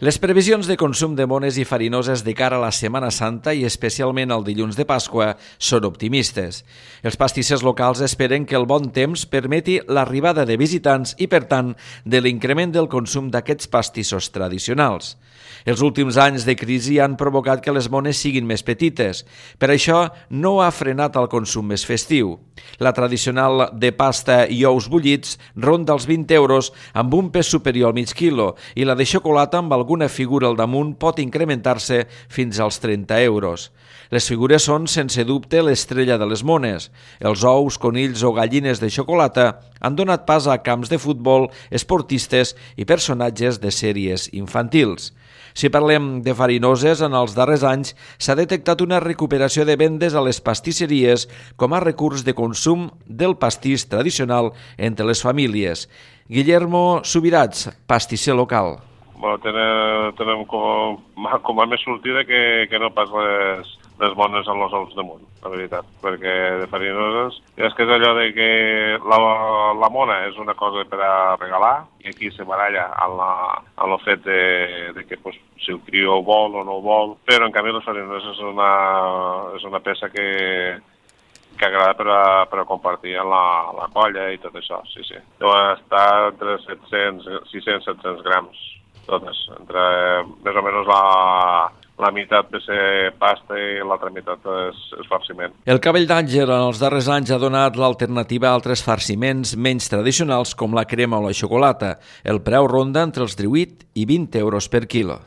Les previsions de consum de mones i farinoses de cara a la Setmana Santa i especialment al dilluns de Pasqua són optimistes. Els pastissers locals esperen que el bon temps permeti l'arribada de visitants i, per tant, de l'increment del consum d'aquests pastissos tradicionals. Els últims anys de crisi han provocat que les mones siguin més petites. Per això no ha frenat el consum més festiu. La tradicional de pasta i ous bullits ronda els 20 euros amb un pes superior al mig quilo i la de xocolata amb alguna figura al damunt pot incrementar-se fins als 30 euros. Les figures són, sense dubte, l'estrella de les mones. Els ous, conills o gallines de xocolata han donat pas a camps de futbol, esportistes i personatges de sèries infantils. Si parlem de farinoses, en els darrers anys s'ha detectat una recuperació de vendes a les pastisseries com a recurs de consum del pastís tradicional entre les famílies. Guillermo Subirats, pastisser local. Bueno, tenem com a més sortida que no pas les bones en els ous damunt, la veritat, perquè de farinoses és que és allò de que la mona és una cosa per a regalar i aquí se baralla en el fet de que pues, si el crió ho vol o no ho vol, però en canvi les farinoses és una peça que agrada per a compartir en la colla i tot això, sí. Deuen estar entre 600-700 grams, totes, entre més o menys la meitat de ser pasta i l'altra meitat és farciment. El cabell d'àngel en els darrers anys ha donat l'alternativa a altres farciments menys tradicionals com la crema o la xocolata. El preu ronda entre els 18 i 20 euros per quilo.